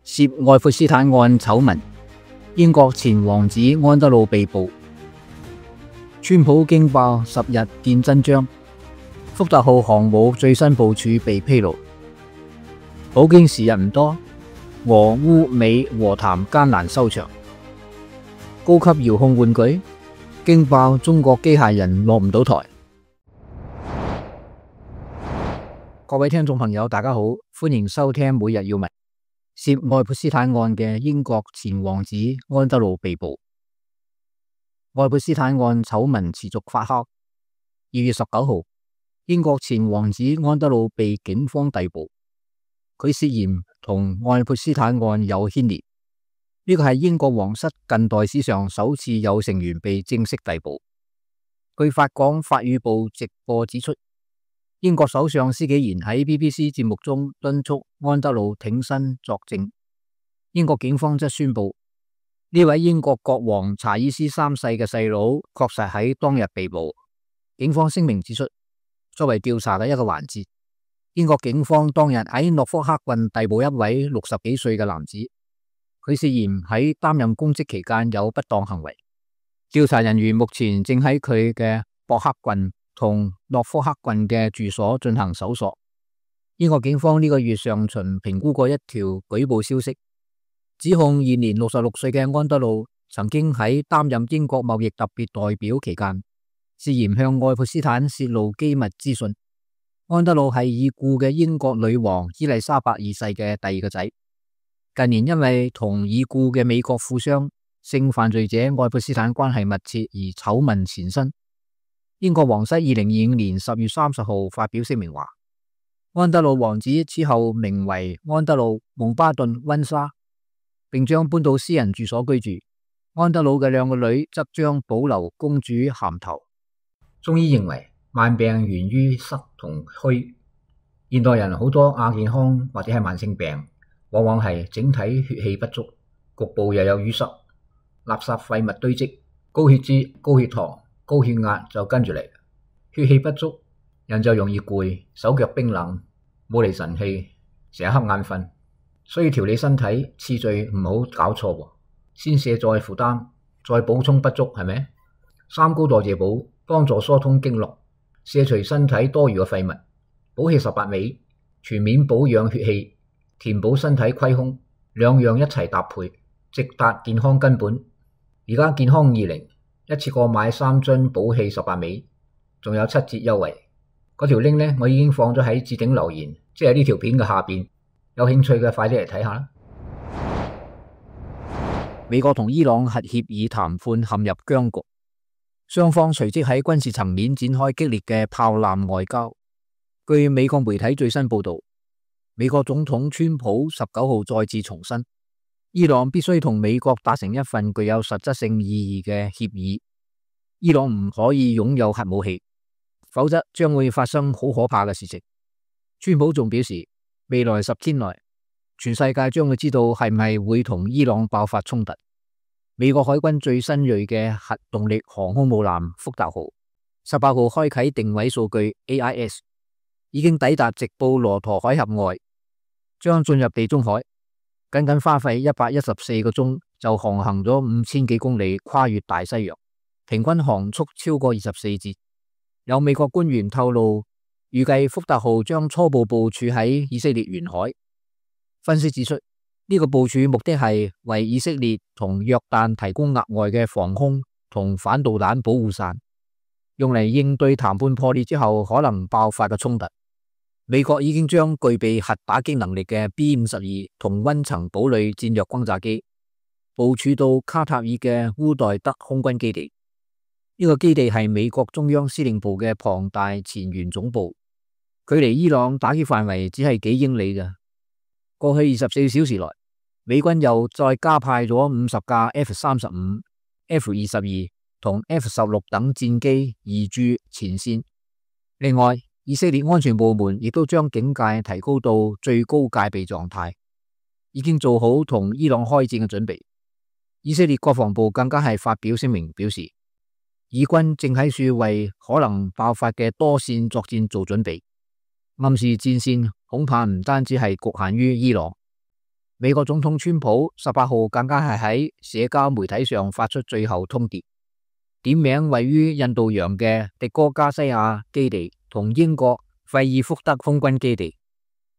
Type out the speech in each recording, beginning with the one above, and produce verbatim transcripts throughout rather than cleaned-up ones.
涉愛潑斯坦案醜聞，英國前王子安德魯被捕。川普驚爆十日見真章，福特號航母最新部署被披露。普京時日唔多，俄烏美和談艱難收場。高級遙控玩具驚爆中國機械人落唔到台。各位聽眾朋友，大家好，歡迎收聽每日要聞。涉愛潑斯坦案嘅英國前王子安德魯被捕。愛潑斯坦案醜聞持續發酵。二月十九號，英國前王子安德魯被警方逮捕，佢涉嫌同愛潑斯坦案有牽連。呢個係英國皇室近代史上首次有成員被正式逮捕。據法廣法語部直播指出，英國首相施紀賢喺 B B C 節目中敦促安德魯挺身作證。英國警方則宣布，呢位英國國王查爾斯三世嘅細佬確實喺當日被捕。警方聲明指出，作為調查嘅一個環節，英國警方當日喺諾福克郡逮捕一位六十幾歲嘅男子，佢涉嫌喺擔任公職期間有不當行為。調查人員目前正喺佢嘅博克郡同諾福克郡嘅住所進行搜索。英國警方呢個月上旬評估過一條舉報消息，指控現年六十六歲嘅安德魯曾經喺擔任英國貿易特別代表期間，涉嫌向愛潑斯坦泄露機密資訊。安德魯係已故嘅英國女王伊麗莎白二世嘅第二個仔，近年因為同已故嘅美國富商性犯罪者愛潑斯坦關係密切而醜聞纏身。英國皇室二零二五年十月三十號發表聲明話，安德魯王子此後名為安德魯蒙巴頓溫莎，並將搬到私人住所居住。安德魯嘅兩個女則將保留公主銜頭。中醫認為慢病源於濕同虛，現代人好多亞健康或者係慢性病，往往係整體血氣不足，局部又有淤塞，垃圾廢物堆積，高血脂、高血糖、高血壓就跟住嚟。血氣不足，人就容易攰，手腳冰冷，冇嚟神氣，成日瞌眼瞓。所以調理身體次序唔好搞錯，先卸再負擔，再補充不足，係咪？三高代謝補幫助疏通經絡，卸除身體多餘嘅廢物，補氣十八味，全面保養血氣，填補身體虧空，兩樣一齊搭配，直達健康根本。而家健康二零一次過買三樽補氣十八味，仲有七折優惠。嗰條 link 呢，我已經放咗喺置頂留言，即係呢條片嘅下邊。有興趣嘅快啲嚟睇下啦。美國同伊朗核協議談判陷入僵局，雙方隨即喺軍事層面展開激烈嘅炮艦外交。據美國媒體最新報道，美國總統川普十九號再次重申，伊朗必須同美國達成一份具有實質性意義嘅協議。伊朗唔可以擁有核武器，否則將會發生好可怕嘅事情。川普仲表示，未來十天內，全世界將會知道係唔係會同伊朗爆發衝突。美國海軍最新銳嘅核動力航空母艦福特號十八號開啟定位數據 A I S， 已經抵達直布羅陀海峽外，將進入地中海。僅僅花費一百一十四個鐘就航行咗五千幾公里，跨越大西洋，平均航速超過二十四節。有美國官員透露，預計福特號將初步部署喺以色列沿海。分析指出，呢個部署目的係為以色列同約旦提供額外嘅防空同反導彈保護傘，用嚟應對談判破裂之後可能爆發嘅衝突。美國已經將具備核打擊能力嘅 B 五十二同溫層堡壘戰略轟炸機部署到卡塔爾嘅烏代德空軍基地。呢個基地係美國中央司令部嘅龐大前沿總部，距離伊朗打擊範圍只係幾英里嘅。過去二十四小時內，美軍又再加派咗五十架 F 三十五、F 二十二同 F 十六等戰機移駐前線。另外，以色列安全部門亦都將警戒提高到最高戒備狀態，已經做好同伊朗開戰嘅準備。以色列國防部更加係發表聲明表示，以軍正喺處為可能爆發嘅多線作戰做準備，暗示戰線恐怕唔單止係局限於伊朗。美國總統川普十八號更加係喺社交媒體上發出最後通牒，點名位於印度洋嘅迪戈加西亞基地同英國費爾福德空軍基地，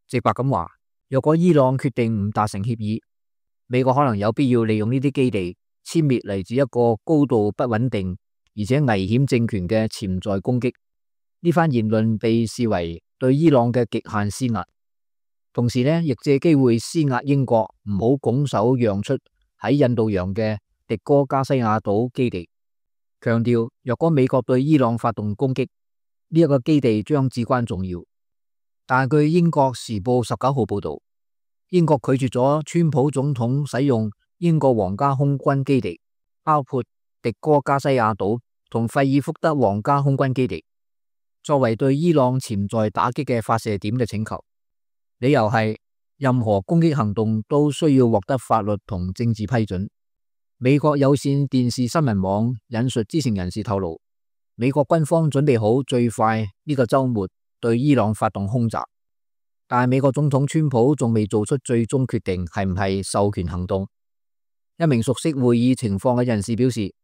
直白咁話，若果伊朗決定唔達成協議，美國可能有必要利用呢啲基地殲滅嚟自一個高度不穩定而且危險政權嘅潛在攻擊。呢番言論被視為對伊朗嘅極限施壓，同時呢亦借機會施壓英國唔好拱手讓出喺印度洋嘅迪戈加西亞島基地，強調若果美國對伊朗發動攻擊，呢一個基地將至關重要。但係據英國時報十九號報道，英國拒絕咗川普總統使用英國皇家空軍基地，包括迪戈加西亞島同費爾福德皇家空軍基地，作為對伊朗潛在打擊嘅發射點嘅請求。理由係任何攻擊行動都需要獲得法律同政治批准。美國有線電視新聞網引述知情人士透露，美國軍方準備好最快呢個週末對伊朗發動空襲，但係美國總統川普仲未做出最終決定係唔係授權行動。一名熟悉會議情況嘅人士表示，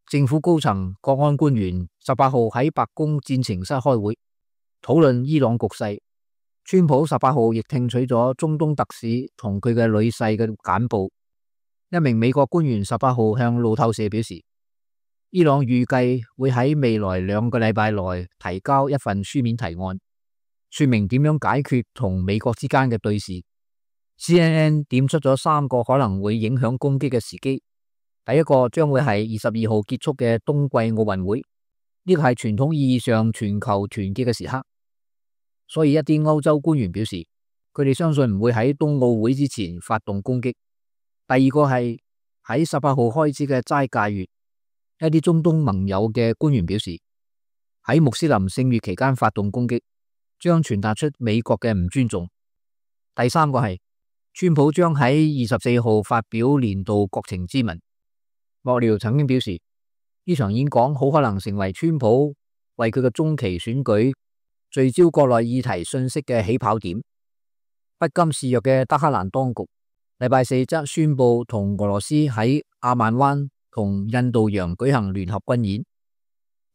政府高層國安官員十八號喺白宮戰情室開會討論伊朗局勢。川普十八號亦聽取咗中東特使同佢嘅女婿嘅簡報。一名美國官員十八號向路透社表示，伊朗預計會喺未來兩個禮拜內提交一份書面提案，說明點樣解決同美國之間嘅對峙。C N N 點出咗三個可能會影響攻擊嘅時機。第一個將會係二十二號結束嘅冬季奧運會，呢個係傳統意義上全球團結嘅時刻。所以一啲歐洲官員表示，佢哋相信唔會喺冬奧會之前發動攻擊。第二個係喺十八號開始嘅齋戒月，一啲中東盟友嘅官員表示，喺穆斯林聖月期間發動攻擊，將傳達出美國嘅唔尊重。第三個係川普將喺二十四號發表年度國情咨文。幕僚曾經表示，呢場演講好可能成為川普為佢嘅中期選舉聚焦國內議題信息嘅起跑點。不甘示弱嘅德黑蘭當局禮拜四則宣布同俄羅斯喺阿曼灣同印度洋舉行聯合軍演。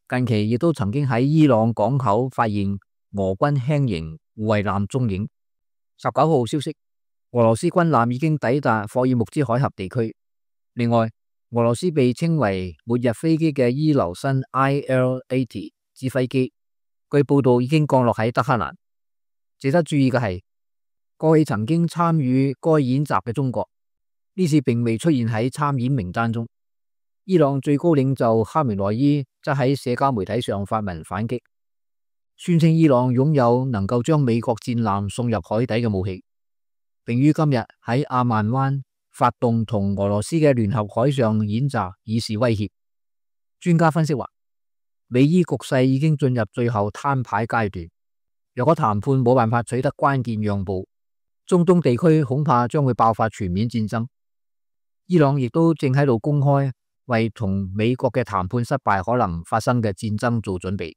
近期亦都曾經喺伊朗港口發現俄軍輕型護衛艦蹤影。十九號消息，俄羅斯軍艦已經抵達霍爾木茲海峽地區。另外，俄羅斯被稱為末日飛機嘅伊留申 I L 八十指揮機，據報道已經降落喺德黑蘭。值得注意嘅係，過去曾經參與該演習嘅中國，呢次並未出現喺參演名單中。伊朗最高領袖哈梅內伊則喺社交媒體上發文反擊，宣稱伊朗擁有能夠將美國戰艦送入海底嘅武器，並於今日喺阿曼灣發動同俄羅斯嘅聯合海上演習，以示威脅。專家分析話，美伊局勢已經進入最後攤牌階段，若果談判冇辦法取得關鍵讓步，中東地區恐怕將會爆發全面戰爭。伊朗亦都正喺度公開為同美國嘅談判失敗可能發生嘅戰爭做準備。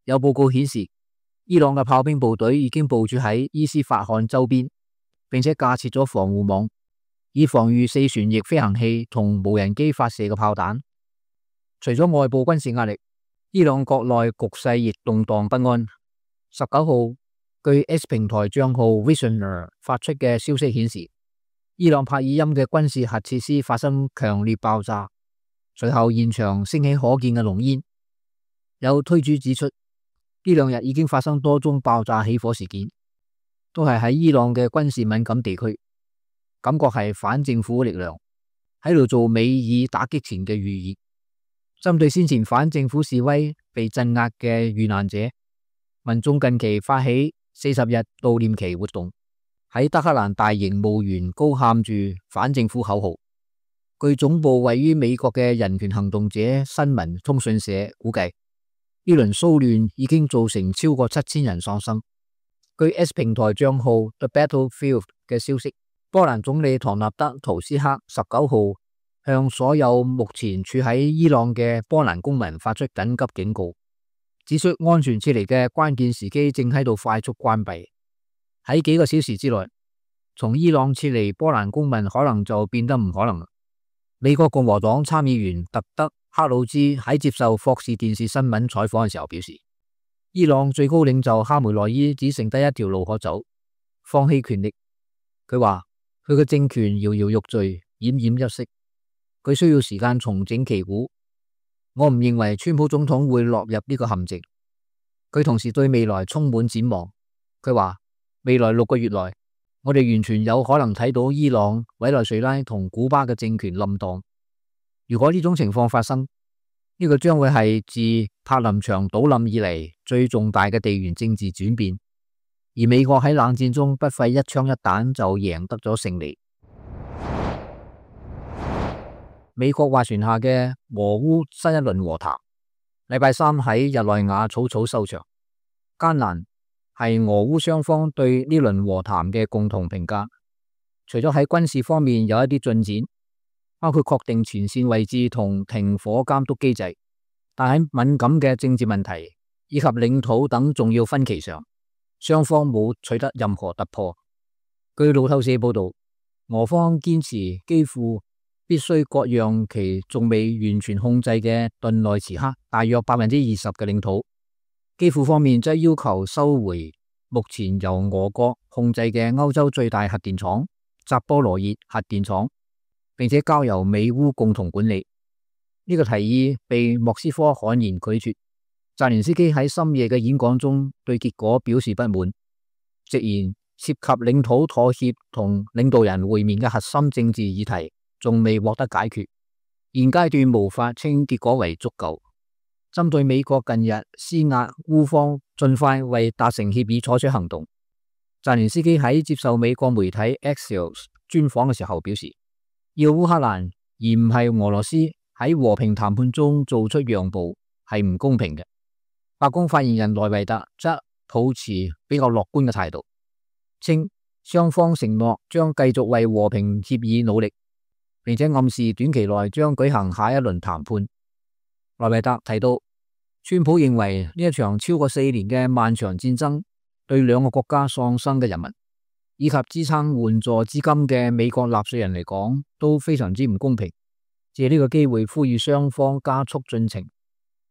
有報告顯示，伊朗嘅炮兵部隊已經部署喺伊斯法罕周邊，並且架設咗防護網，以防禦四旋翼飛行器同無人機發射嘅炮彈。除咗外部軍事壓力，伊朗國內局勢亦動盪不安。十九號，據 X 平台賬號 Visioner 發出嘅消息顯示，伊朗帕爾欽嘅軍事核設施發生強烈爆炸，隨後現場升起可見嘅濃煙。有推主指出，呢兩日已經發生多宗爆炸起火事件，都係喺伊朗嘅軍事敏感地區，感覺係反政府力量喺度做美以打擊前嘅預熱。針對先前反政府示威被鎮壓嘅遇難者，民眾近期發起四十日悼念期活動，喺德黑蘭大型墓園高喊住反政府口號。據總部位於美國嘅人權行動者新聞通訊社估計，呢輪騷亂已經造成超過七千人喪生。據 S 平台賬號 The Battlefield 嘅消息，波蘭總理唐納德圖斯克十九號向所有目前處喺伊朗嘅波蘭公民發出緊急警告，指出安全撤離嘅關鍵時機正喺度快速關閉。喺幾個小時之內，從伊朗撤離波蘭公民可能就變得唔可能。美國共和黨參議員特德克魯茲喺接受霍士電視新聞採訪嘅時候表示，伊朗最高領袖哈梅內伊只剩低一條路可走，放棄權力。佢話佢嘅政權搖搖欲墜，奄奄一息，佢需要時間重整旗鼓。我唔認為川普總統會落入呢個陷阱。佢同時對未來充滿展望。佢話未來六個月內，我哋完全有可能睇到伊朗、委內瑞拉同古巴嘅政權冧檔。如果呢種情況發生，呢個將會係自柏林牆倒冧以嚟最重大嘅地緣政治轉變。而美國喺冷戰中不費一槍一彈就贏得咗勝利。美國斡旋下嘅俄烏新一輪和談，禮拜三喺日內瓦草草收場。艱難係俄烏雙方對呢輪和談嘅共同評價。除咗喺軍事方面有一啲進展，包括確定前線位置同停火監督機制，但喺敏感嘅政治問題以及領土等重要分歧上，雙方冇取得任何突破。據路透社報道，俄方堅持幾乎必須割讓其仲未完全控制嘅頓內茨克大約百分之二十嘅領土，基輔方面則要求收回目前由俄國控制嘅歐洲最大核電廠扎波羅熱核電廠，並且交由美烏共同管理。呢、這個提議被莫斯科悍然拒絕。澤連斯基喺深夜嘅演講中對結果表示不滿，直言涉及領土妥協同領導人會面嘅核心政治議題仲未獲得解決，現階段無法稱結果為足夠。針對美國近日施壓烏方盡快為達成協議採取行動，澤連斯基喺接受美國媒體 Axios 專訪嘅時候表示，要烏克蘭而唔係俄羅斯喺和平談判中做出讓步係唔公平嘅。白宮發言人萊維特則抱持比較樂觀嘅態度，稱雙方承諾將繼續為和平協議努力，並且暗示短期內將舉行下一輪談判。萊維特提到，川普認為呢一場超過四年嘅漫長戰爭對兩個國家喪生嘅人民以及支撐援助資金嘅美國納稅人嚟講都非常之唔公平，借呢個機會呼籲雙方加速進程。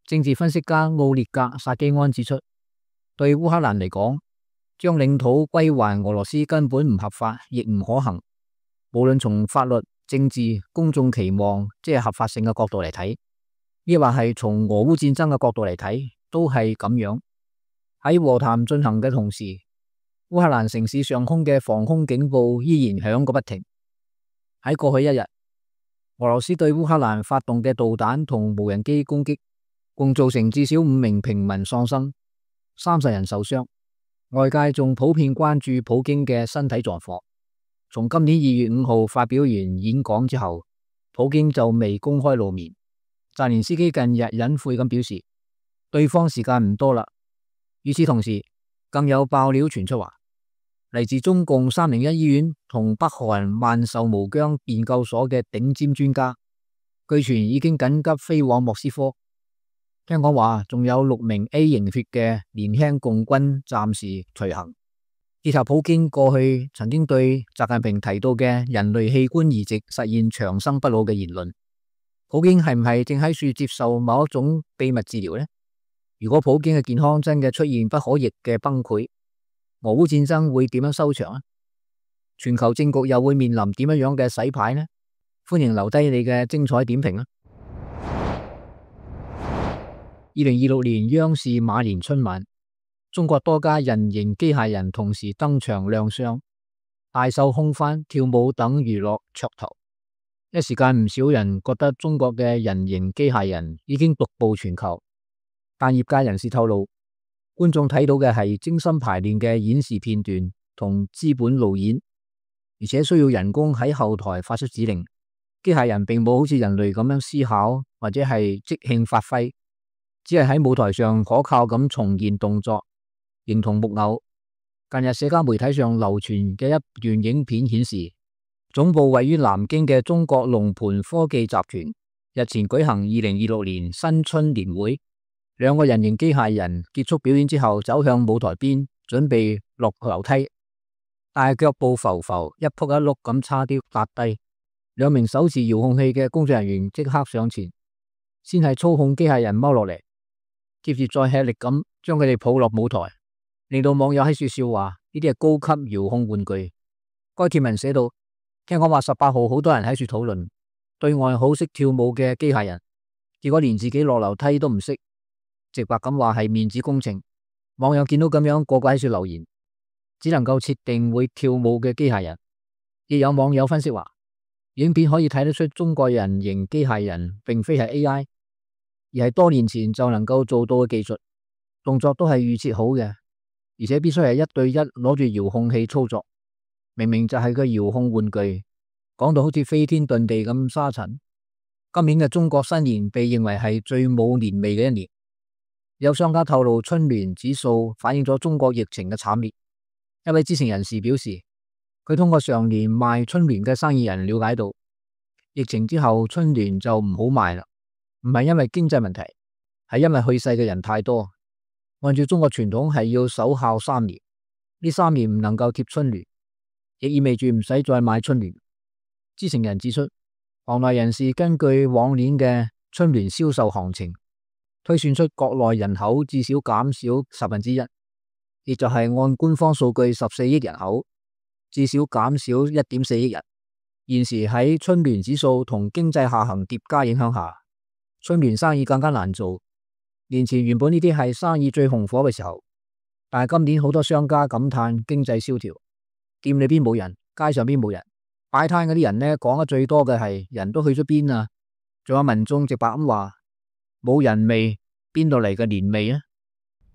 政治分析家奧列格薩基安指出，對烏克蘭嚟講，將領土歸還俄羅斯根本唔合法，亦唔可行。無論從法律、政治、公眾期望，即係合法性嘅角度嚟睇，亦或係從俄烏戰爭嘅角度嚟睇，都係咁樣。喺和談進行嘅同時，烏克蘭城市上空嘅防空警報依然響個不停。喺過去一日，俄羅斯對烏克蘭發動嘅導彈同無人機攻擊，共造成至少五名平民喪生，三十人受傷。外界仲普遍關注普京嘅身體狀況。從今年二月五號發表完演講之後，普京就未公開露面。澤連斯基近日隱晦咁表示，對方時間唔多啦。與此同時，更有爆料傳出話，嚟自中共三零一醫院同北韓萬壽無疆研究所嘅頂尖專家，據傳已經緊急飛往莫斯科。聽講話仲有六名 A 型血嘅年輕共軍暫時隨行。結合普京過去曾經對習近平提到嘅人類器官移植實現長生不老嘅言論，普京係唔係正喺處接受某一種秘密治療呢？如果普京嘅健康真嘅出現不可逆嘅崩潰，俄烏戰爭會點樣收場啊？全球政局又會面臨點樣樣嘅洗牌呢？歡迎留低你嘅精彩點評啊！二零二六年央視馬年春晚，中國多家人形機械人同時登場亮相，大秀空翻、跳舞等娛樂噱頭。一時間唔少人覺得中國嘅人形機械人已經獨步全球，但業界人士透露，觀眾睇到嘅係精心排練嘅演示片段同資本路演，而且需要人工喺後台發出指令。機械人並冇好似人類咁樣思考或者係即興發揮，只係喺舞台上可靠咁重現動作，形同木偶。近日社交媒體上流傳嘅一段影片顯示，總部位於南京嘅中國龍盤科技集團日前舉行二零二六年新春年會，兩個人形機械人結束表演之後走向舞台邊，準備落樓梯。但係腳步浮浮，一仆一碌咁差啲跌低。兩名手持遙控器嘅工作人員即刻上前，先係操控機械人踎落嚟，接住再吃力咁將佢哋抱落舞台，令到網友喺處笑話呢啲係高級遙控玩具。該貼文寫到：聽講話十八號好多人喺處討論對外好識跳舞嘅機械人，結果連自己落樓梯都唔識，直白咁話係面子工程。網友見到咁樣，個個喺處留言，只能夠設定會跳舞嘅機械人。亦有網友分析話，影片可以睇得出中國人形機械人並非係 A I， 而係多年前就能夠做到嘅技術，動作都係預設好嘅，而且必須係一對一攞住遙控器操作。明明就係個遙控玩具，講到好似飛天遁地咁沙塵。今年嘅中國新年被認為係最冇年味嘅一年。有商家透露，春聯指數反映咗中國疫情嘅慘烈。一位知情人士表示，佢通過上年賣春聯嘅生意人了解到，疫情之後春聯就唔好賣啦，唔係因為經濟問題，係因為去世嘅人太多。按照中國傳統係要守孝三年，呢三年唔能夠貼春聯，亦意味住唔使再買春聯。知情人指出，行內人士根據往年嘅春聯銷售行情，推算出國內人口至少減少十分之一，亦就係按官方數據十四億人口，至少減少一點四億人。現時喺春聯指數同經濟下行疊加影響下，春聯生意更加難做。年前原本呢啲係生意最紅火嘅時候，但係今年好多商家感嘆經濟蕭條，店裏邊冇人，街上邊冇人，擺攤嗰啲人呢，講得最多嘅係人都去咗邊啊？仲有民眾直白咁話，冇人味，邊度嚟嘅年味啊？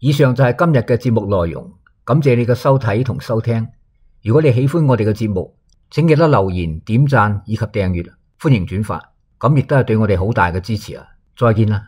以上就係今日嘅節目內容，感謝你嘅收睇同收聽。如果你喜歡我哋嘅節目，請記得留言、點讚以及訂閱，歡迎轉發，咁亦都係對我哋好大嘅支持啊！再見啦！